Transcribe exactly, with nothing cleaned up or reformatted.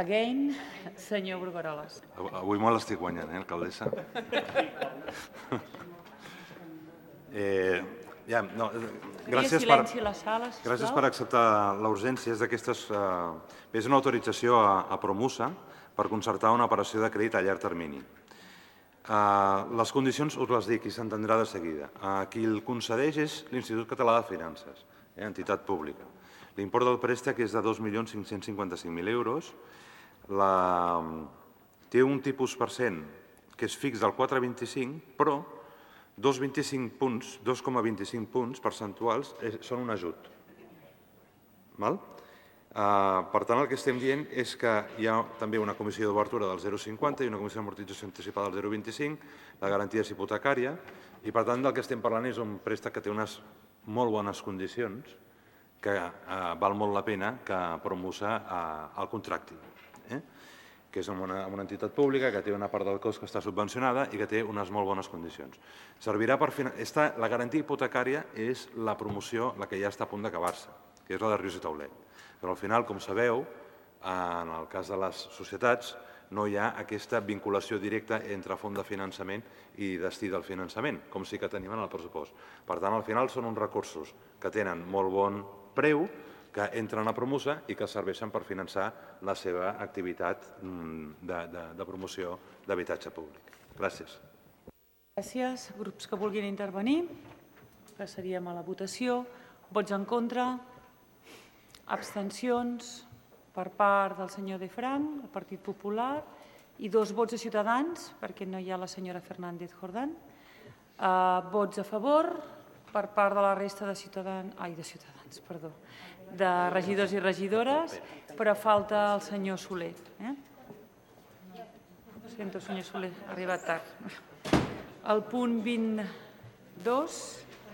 Again, senyor Brugueroles. Avui me l'estic guanyant, eh, alcaldessa? Eh, ja, no, gràcies, per, silenci a la sala, sisplau. gràcies per acceptar la urgència. És d'aquestes, eh, és una autorització a, a Promusa per concertar una operació de crèdit a llarg termini. Uh, les condicions us les dic i s'entendrà de seguida. Uh, qui el concedeix és l'Institut Català de Finances, eh, entitat pública. L'import del préstec és de dos milions cinc-cents cinquanta-cinc mil euros. La, té un tipus per cent que és fix del quatre coma vint-i-cinc, però dos coma vint-i-cinc punts, dos coma vint-i-cinc punts percentuals és, són un ajut. Val? Uh, per tant, el que estem dient és que hi ha també una comissió d'obertura del zero coma cinquanta i una comissió d'amortització anticipada del zero coma vint-i-cinc, la garantia és hipotecària, i per tant del que estem parlant és un préstec que té unes molt bones condicions que uh, val molt la pena que Promusa uh, el contracti. Eh? Que és amb una, amb una entitat pública que té una part del cost que està subvencionada i que té unes molt bones condicions. Servirà per Esta, la garantia hipotecària és la promoció, la que ja està a punt d'acabar-se, que és la de Rius i Taulet. Però al final, com sabeu, en el cas de les societats, no hi ha aquesta vinculació directa entre font de finançament i destí del finançament, com sí que tenim en el pressupost. Per tant, al final són uns recursos que tenen molt bon preu, que entren a Promusa i que serveixen per finançar la seva activitat de, de, de promoció d'habitatge públic. Gràcies. Gràcies. Grups que vulguin intervenir. Passaríem a la votació. Vots en contra? Abstencions per part del senyor De Frank, el Partit Popular, i dos vots de Ciutadans, perquè no hi ha la senyora Fernández Jordán. Uh, vots a favor per part de la resta de ciutadans, ai, de ciutadans, perdó, de regidors i regidores, però falta el senyor Soler. Eh? Ho sento, senyor Soler, ha arribat tard. El punt vint-i-dos...